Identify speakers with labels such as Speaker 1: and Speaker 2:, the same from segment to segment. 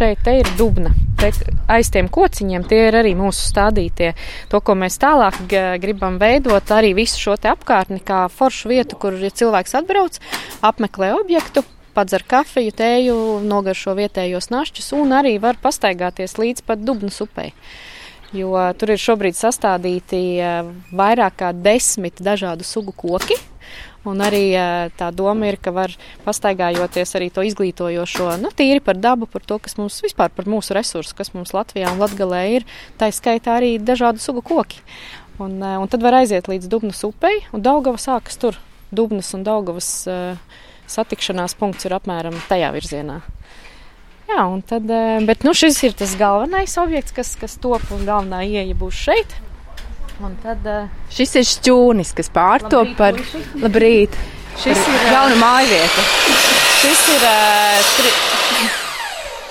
Speaker 1: šeit te ir dubna. Te aiz tiem kociņiem tie ir arī mūsu stādītie. To, ko mēs tālāk gribam veidot, arī visu šo te apkārtni kā foršu vietu, kur ja cilvēks atbrauc, apmeklē objektu, padzer kafiju, tēju, nogaršo vietējos našķus un arī var pastaigāties līdz pat Dubnas upei. Jo tur ir šobrīd sastādīti vairāk kā 10 dažādu sugu koki. Un arī tā doma ir, ka var pastaigājoties arī to izglītojošo, tīri par dabu, par to, kas mums vispār par mūsu resursu, kas mums Latvijā un Latgalē ir, tā skaitā arī dažādu sugu koki. Un tad var aiziet līdz Dubnas upei, un Daugava sākas tur. Dubnas un Daugavas satikšanās punkts ir apmēram tajā virzienā. Jā, un tad, bet šis ir tas galvenais objekts, kas top, un galvenā ieeja būs šeit. Un tad,
Speaker 2: šis ir šķūnis, kas pārtop par... Labrīt!
Speaker 1: Šis ir
Speaker 2: jauna mājvieta.
Speaker 1: Šis ir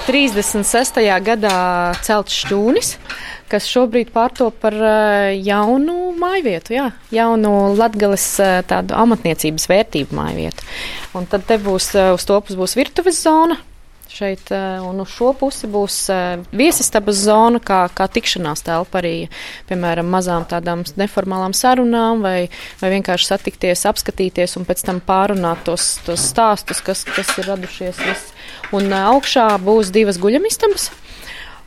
Speaker 1: 36. gadā celts šķūnis, kas šobrīd pārtop par jaunu mājvietu, jaunu Latgales tādu amatniecības vērtību mājvietu. Un tad te būs, uz to pusi būs virtuves zona. Šeit, un uz šo pusi būs viesistabas zona, kā tikšanās telpa arī, piemēram, mazām tādām neformālām sarunām vai vienkārši satikties, apskatīties un pēc tam pārunāt tos stāstus, kas ir radušies viss. Un augšā būs 2 guļamistabas.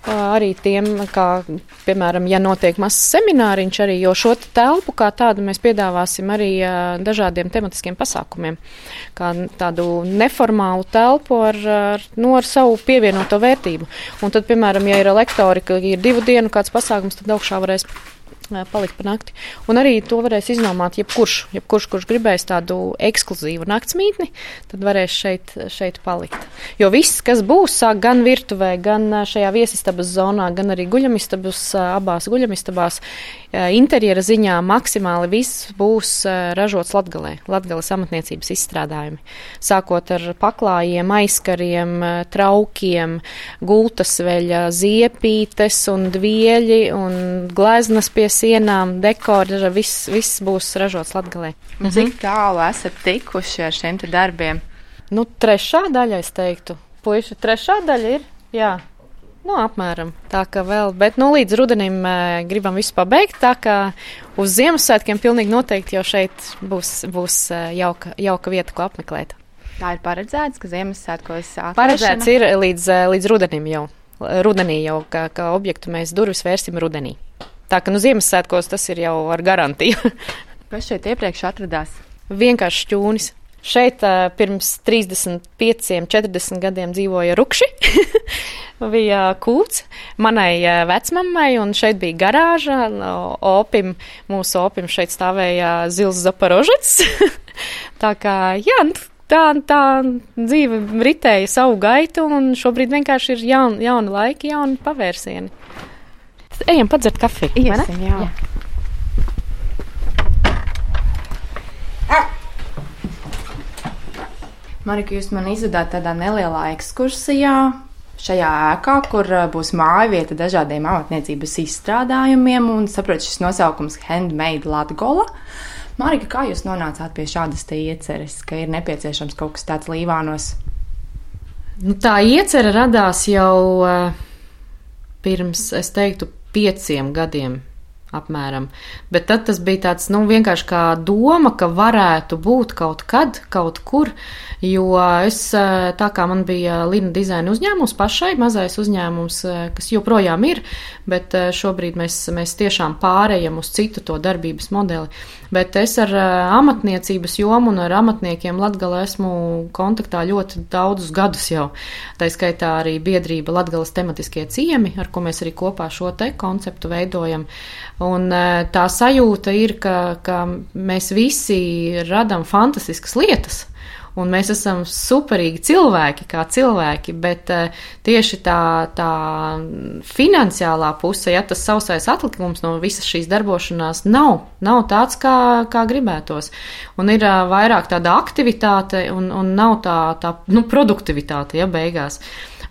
Speaker 1: Arī tiem, kā, piemēram, ja notiek mazs semināriņš arī, jo šo telpu kā tādu mēs piedāvāsim arī dažādiem tematiskiem pasākumiem, kā tādu neformālu telpu ar savu pievienoto vērtību. Un tad, piemēram, ja ir lektori, ka ir 2 dienu kāds pasākums, tad augšā varēs palikt pa nakti. Un arī to varēs iznomāt kurš gribēs tādu ekskluzīvu naktsmītni, tad varēs šeit palikt. Jo viss, kas būs, sāk gan virtuvē, gan šajā viesistabas zonā, gan arī guļamistabas, abās guļamistabās, interjera ziņā maksimāli viss būs ražots Latgalē, Latgales amatniecības izstrādājumi. Sākot ar paklājiem, aizkariem, traukiem, gultasveļa, ziepītes un dvieļi un gleznas pie sienām, dekori, viss būs ražots Latgalē.
Speaker 2: Cik tālu esat tikuši ar šiem te darbiem?
Speaker 1: 3. daļa, es teiktu. Puiši, 3. daļa ir, jā. Apmēram tā, ka vēl, bet līdz rudenim gribam visu pabeigt, tā ka uz Ziemassvētkiem pilnīgi noteikti jau šeit būs jauka vieta, ko apmeklēt.
Speaker 2: Tā ir paredzēts, ka Ziemassvētkos atvēršana?
Speaker 1: Paredzēts ir līdz rudenim jau. Rudenī jau, ka objektu mēs durvis vērsim rudenī. Tā ka Ziemassvētkos tas ir jau ar garantiju.
Speaker 2: Kas šeit iepriekš atradās?
Speaker 1: Vienkārši šķūnis. Šeit pirms 35, 40 gadiem dzīvoja rukši, bija kūts manai vecmammai, un šeit bija garāža, mūsu opim šeit stāvēja zils Zaporožets. Tā kā, tā dzīve ritēja savu gaitu, un šobrīd vienkārši ir jauni laiki, jauni pavērsieni. Ejam padzert kafiju, vai ne?
Speaker 2: Iesim, jā. Marika, jūs man izvedāt tādā nelielā ekskursijā šajā ēkā, kur būs mājvieta dažādiem amatniecības izstrādājumiem, un saprotu, šis nosaukums Handmade Latgola. Marika, kā jūs nonācāt pie šādas te ieceres, ka ir nepieciešams kaut kas tāds Līvānos?
Speaker 1: Tā iecere radās jau pirms, es teiktu, 5 gadiem. Apmēram. Bet tad tas bija tāds, vienkārši kā doma, ka varētu būt kaut kad, kaut kur, jo es, tā kā man bija Lina dizaina uzņēmums pašai, mazais uzņēmums, kas joprojām ir, bet šobrīd mēs tiešām pārējam uz citu to darbības modeli. Bet es ar amatniecības jomu un ar amatniekiem Latgalē esmu kontaktā ļoti daudzus gadus jau. Tā skaitā arī biedrība Latgales tematiskie ciemi, ar ko mēs arī kopā šo te konceptu veidojam. Un tā sajūta ir, ka mēs visi radam fantastiskas lietas, un mēs esam superīgi cilvēki kā cilvēki, bet tieši tā finansiālā puse, tas sausais atlikums no visas šīs darbošanās nav tāds, kā gribētos. Un ir vairāk tāda aktivitāte un nav tā produktivitāte, beigās.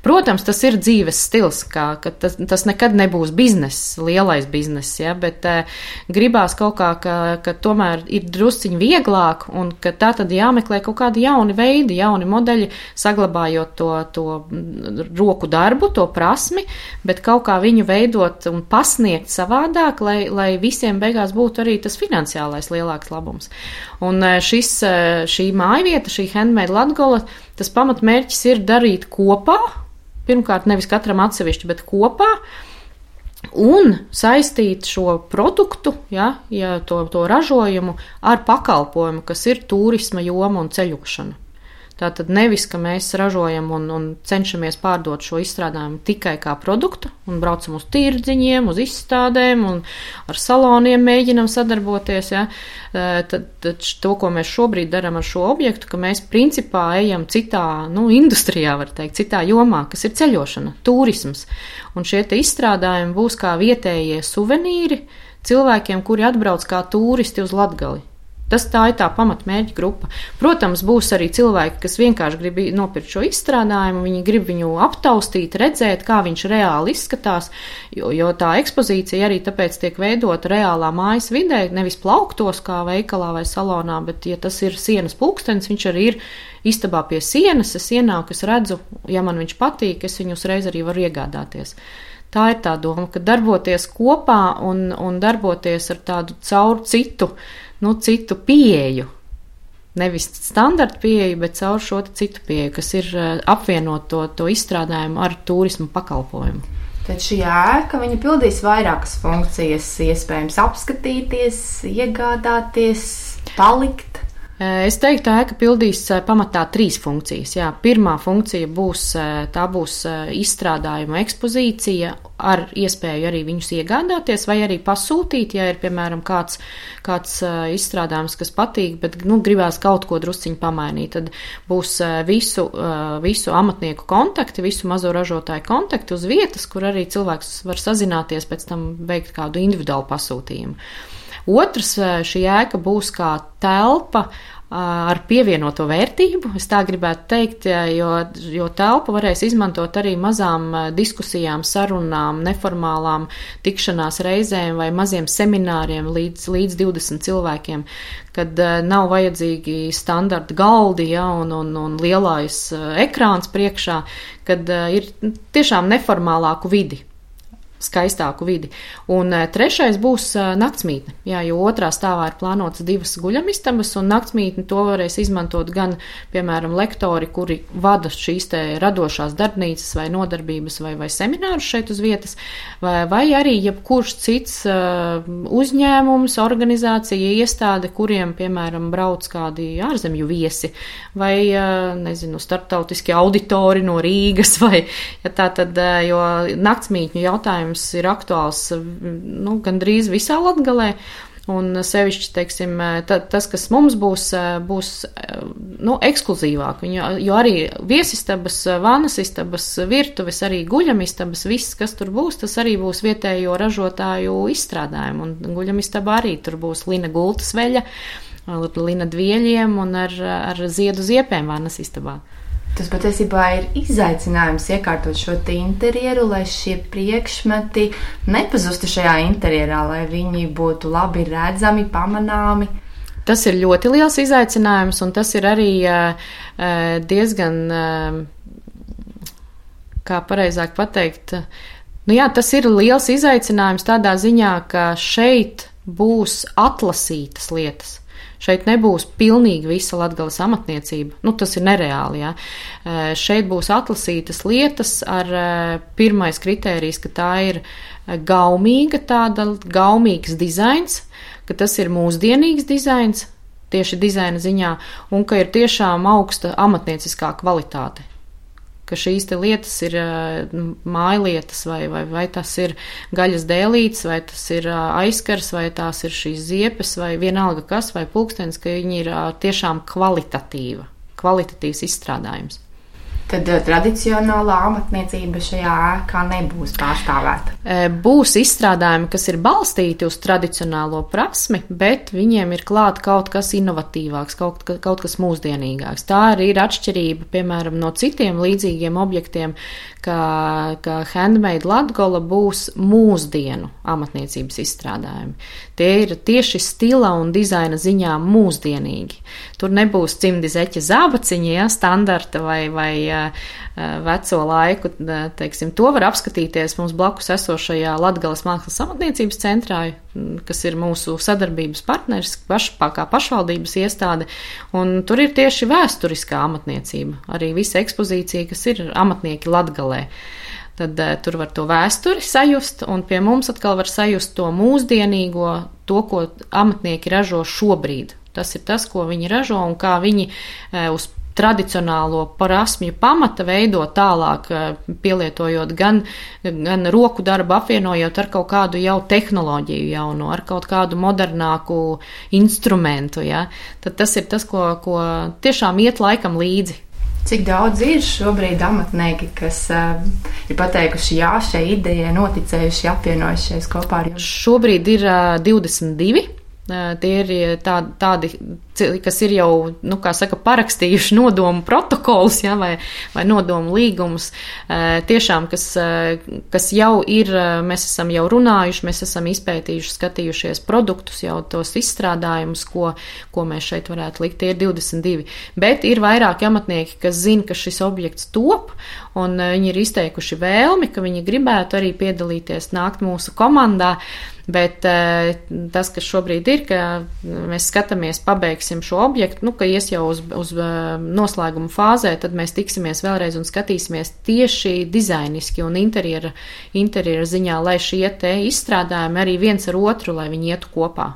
Speaker 1: Protams, tas ir dzīves stils, ka tas nekad nebūs bizness, lielais bizness, ja, bet gribās kaut kā, ka tomēr ir drusciņi vieglāk un ka tā tad jāmeklē kaut kādi jauni veidi, jauni modeļi, saglabājot to roku darbu, to prasmi, bet kaut kā viņu veidot un pasniegt savādāk, lai visiem beigās būtu arī tas finansiālais lielāks labums. Un šī mājvieta, šī Handmade Latgola, tas pamatmērķis ir darīt kopā, pirmkārt nevis katram atsevišķi, bet kopā, un saistīt šo produktu, ja to ražojumu ar pakalpojumu, kas ir turisma joma un ceļošana. Tātad nevis, ka mēs ražojam un cenšamies pārdot šo izstrādājumu tikai kā produktu un braucam uz tirdziņiem, uz izstādēm un ar saloniem mēģinam sadarboties. Ja. Tad to, ko mēs šobrīd darām ar šo objektu, ka mēs principā ejam citā industrijā, var teikt, citā jomā, kas ir ceļošana, turisms. Un šie te izstrādājumi būs kā vietējie suvenīri cilvēkiem, kuri atbrauc kā turisti uz Latgali. Tā ir tā pamatmērķa grupa. Protams, būs arī cilvēki, kas vienkārši grib nopirkt šo izstrādājumu, viņi grib viņu aptaustīt, redzēt, kā viņš reāli izskatās, jo tā ekspozīcija arī tāpēc tiek veidota reālā mājas vidē, nevis plauktos kā veikalā vai salonā, bet, ja tas ir sienas pulkstenis, viņš arī ir istabā pie sienas, es ienāku, es redzu, ja man viņš patīk, es viņu uzreiz arī varu iegādāties. Tā ir tā doma, ka darboties kopā un darboties ar tādu caur citu pieeju. Nevis standarta pieeju, bet caur šo citu pieeju, kas ir apvienot to izstrādājumu ar turismu pakalpojumu.
Speaker 2: Tad šī ēka, viņa pildīs vairākas funkcijas, iespējams apskatīties, iegādāties, palikt.
Speaker 1: Es teiktu, tā ēka pildīs pamatā 3 funkcijas. Jā, pirmā funkcija būs izstrādājuma ekspozīcija ar iespēju arī viņus iegādāties vai arī pasūtīt, ja ir, piemēram, kāds izstrādājums, kas patīk, bet gribās kaut ko drusciņu pamainīt. Tad būs visu amatnieku kontakti, visu mazo ražotāju kontakti uz vietas, kur arī cilvēks var sazināties, pēc tam veikt kādu individuālu pasūtījumu. Otrs, šī ēka būs kā telpa ar pievienoto vērtību, es tā gribētu teikt, jo telpu varēs izmantot arī mazām diskusijām, sarunām, neformālām tikšanās reizēm vai maziem semināriem līdz 20 cilvēkiem, kad nav vajadzīgi standarta galdi, un lielais ekrāns priekšā, kad ir tiešām neformālāku vidi. Skaistāku vidi. Un trešais būs naktsmītne, jo otrā stāvā ir plānotas 2 guļamistabas, un naktsmītni to varēs izmantot gan, piemēram, lektori, kuri vada šīs te radošās darbnīcas vai nodarbības vai seminārus šeit uz vietas, vai arī jebkurš cits uzņēmums, organizācija, iestāde, kuriem, piemēram, brauc kādi ārzemju viesi, vai, starptautiski auditori no Rīgas, vai, jo naktsmītņu jautājums ir aktuāls gandrīz visā Latgalē, un sevišķi, teiksim, tas, kas mums būs ekskluzīvāk, jo arī viesistabas, vannas istabas, virtuves, arī guļamistabas, viss, kas tur būs, tas arī būs vietējo ražotāju izstrādājumu, un guļamistabā arī tur būs lina gultas veļa, lina dvieļiem un ar ziedu ziepēm vannas istabā.
Speaker 2: Tas patiesībā ir izaicinājums iekārtot šo interjeru, lai šie priekšmeti nepazustu šajā interjerā, lai viņi būtu labi redzami, pamanāmi.
Speaker 1: Tas ir ļoti liels izaicinājums, un tas ir arī diezgan, kā pareizāk pateikt, tas ir liels izaicinājums tādā ziņā, ka šeit būs atlasītas lietas. Šeit nebūs pilnīgi visa Latgales amatniecība. Tas ir nereāli, jā. Šeit būs atlasītas lietas ar pirmais kritērijs, ka tā ir gaumīgs dizains, ka tas ir mūsdienīgs dizains, tieši dizaina ziņā, un ka ir tiešām augsta amatnieciskā kvalitāte. Ka šīs te lietas ir mājlietas, vai tas ir gaļas dēlītes, vai tas ir aizkars, vai tās ir šīs ziepes, vai vienalga kas, vai pulkstenis, ka viņi ir tiešām kvalitatīvs izstrādājums.
Speaker 2: Tad tradicionālā amatniecība šajā ēkā nebūs pārstāvēta.
Speaker 1: Būs izstrādājumi, kas ir balstīti uz tradicionālo prasmi, bet viņiem ir klāt kaut kas inovatīvāks, kaut kas mūsdienīgāks. Tā arī ir atšķirība, piemēram, no citiem līdzīgiem objektiem, ka Handmade Latgola būs mūsdienu amatniecības izstrādājumi. Tie ir tieši stila un dizaina ziņā mūsdienīgi. Tur nebūs cimdi zeķa zābaciņi, ja, standarta vai veco laiku, teiksim, to var apskatīties mums blakus esošajā Latgales mākslas amatniecības centrā, kas ir mūsu sadarbības partneris, kā pašvaldības iestāde, un tur ir tieši vēsturiskā amatniecība, arī visa ekspozīcija, kas ir amatnieki Latgalē. Tad tur var to vēsturi sajust, un pie mums atkal var sajust to mūsdienīgo, to, ko amatnieki ražo šobrīd. Tas ir tas, ko viņi ražo un kā viņi uz tradicionālo prasmju pamata veido tālāk, pielietojot gan roku darbu, apvienojot ar kaut kādu jau tehnoloģiju jaunu, ar kaut kādu modernāku instrumentu. Ja? Tad tas ir tas, ko tiešām iet laikam līdzi.
Speaker 2: Cik daudz ir šobrīd amatnieki, kas ir pateikuši jā šai idejai, noticējuši, apvienojušies kopā ar jums?
Speaker 1: Šobrīd ir 22. Tie ir tādi, kas ir jau, kā saka, parakstījuši nodomu protokolus, ja, vai nodomu līgumus. Tiešām, kas jau ir, mēs esam jau runājuši, mēs esam izpētījuši, skatījušies produktus, jau tos izstrādājumus, ko mēs šeit varētu likt. Tie ir 22. Bet ir vairāki amatnieki, kas zina, ka šis objekts top, un viņi ir izteikuši vēlmi, ka viņi gribētu arī piedalīties, nākt mūsu komandā. Bet tas, kas šobrīd ir, ka mēs skatāmies, pabeigsim šo objektu, ka ies jau uz noslēguma fāzē, tad mēs tiksimies vēlreiz un skatīsimies tieši dizainiski un interjera ziņā, lai šie te izstrādājumi arī viens ar otru, lai viņi ietu kopā.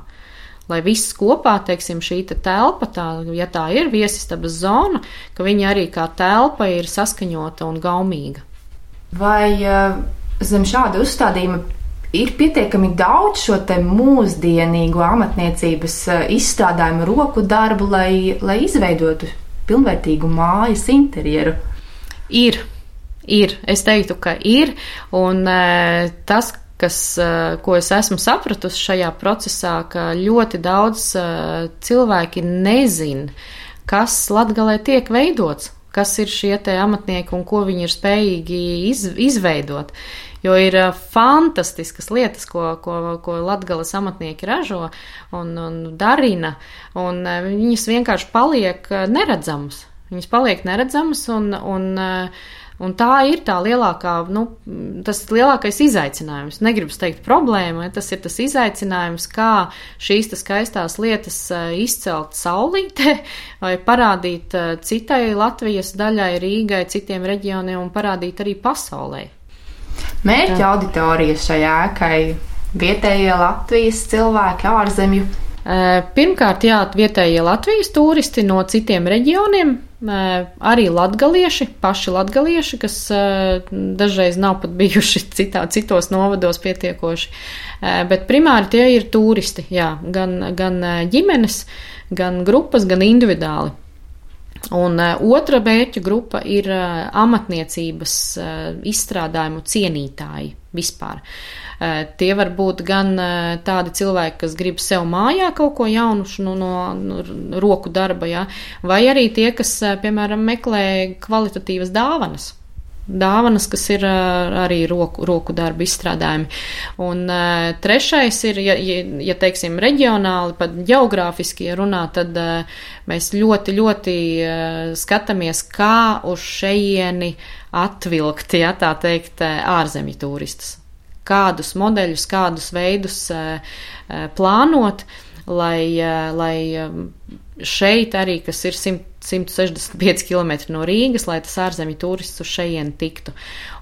Speaker 1: Lai viss kopā, teiksim, šī telpa, ja tā ir viesistabas zona, ka viņa arī kā telpa ir saskaņota un gaumīga.
Speaker 2: Vai zem šāda uzstādījuma ir pietiekami daudz šo te mūsdienīgo amatniecības izstrādājumu roku darbu, lai izveidotu pilnvērtīgu mājas interjeru?
Speaker 1: Ir. Es teiktu, ka ir. Un tas, ko es esmu sapratusi šajā procesā, ka ļoti daudz cilvēki nezin, kas Latgalē tiek veidots, kas ir šie te amatnieki un ko viņi ir spējīgi izveidot. Jo ir fantastiskas lietas, ko Latgales amatnieki ražo un darina, un viņas vienkārši paliek neredzamas. Viņas paliek neredzamas, un tā ir tā lielākā, tas ir lielākais izaicinājums. Negribu teikt problēma, tas ir tas izaicinājums, kā šīs skaistās lietas izcelt saulītē vai parādīt citai Latvijas daļai, Rīgai, citiem reģioniem un parādīt arī pasaulē.
Speaker 2: Mērķa auditorija šai ēkai vietējie Latvijas cilvēki, ārzemju?
Speaker 1: Pirmkārt, vietējie Latvijas turisti no citiem reģioniem, arī latgalieši, paši latgalieši, kas dažreiz nav pat bijuši citos novados pietiekoši, bet primāri tie ir turisti, gan ģimenes, gan grupas, gan individuāli. Un otra mērķa grupa ir amatniecības izstrādājumu cienītāji vispār. Tie var būt gan tādi cilvēki, kas grib sev mājā kaut ko jaunu no roku darba, vai arī tie, kas, piemēram, meklē kvalitatīvas dāvanas. Dāvanas, kas ir arī roku darba izstrādājumi. Un trešais ir, ja teiksim, reģionāli, pat geogrāfiski runā, tad mēs ļoti, ļoti skatāmies, kā uz šejieni atvilkt, tā teikt, ārzemju turistus. Kādus modeļus, kādus veidus plānot, lai šeit arī, kas ir 165 km no Rīgas, lai tas ārzemju turists uz šejieni tiktu.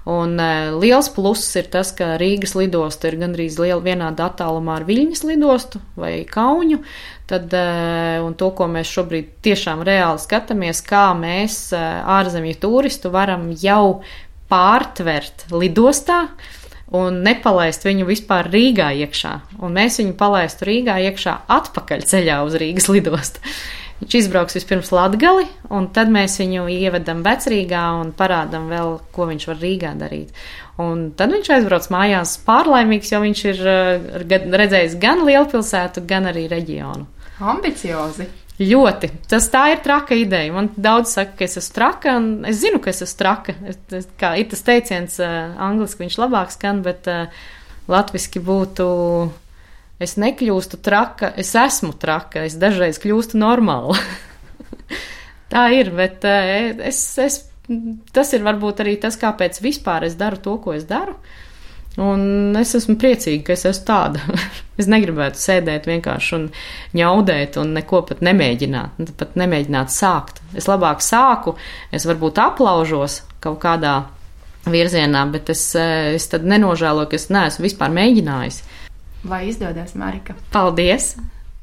Speaker 1: Un liels pluss ir tas, ka Rīgas lidosta ir gandrīz vienāda attālumā ar Viļņas lidostu vai Kauņu. Un to, ko mēs šobrīd tiešām reāli skatāmies, kā mēs ārzemju turistu varam jau pārtvert lidostā un nepalaist viņu vispār Rīgā iekšā. Un mēs viņu palaistu Rīgā iekšā atpakaļ ceļā uz Rīgas lidostu. Viņš izbrauks vispirms Latgali, un tad mēs viņu ievedam Vecrīgā un parādam vēl, ko viņš var Rīgā darīt. Un tad viņš aizbrauc mājās pārlaimīgs, jo viņš ir redzējis gan lielpilsētu, gan arī reģionu.
Speaker 2: Ambiciozi!
Speaker 1: Ļoti. Tā ir traka ideja. Man daudz saka, ka es esmu traka, un es zinu, ka es esmu traka. Kā ir tas teiciens, angliski viņš labāk skan, bet latviski būtu, es nekļūstu traka, es esmu traka, es dažreiz kļūstu normāla. Tā ir, bet tas ir varbūt arī tas, kāpēc vispār es daru to, ko es daru. Un es esmu priecīga, ka es esmu tāda. Es negribētu sēdēt vienkārši un ņaudēt un neko pat nemēģināt. Pat nemēģināt sākt. Es labāk sāku, es varbūt aplaužos kaut kādā virzienā, bet es tad nenožēloju, ka es neesmu vispār mēģinājis.
Speaker 2: Vai izdodas, Marika?
Speaker 1: Paldies!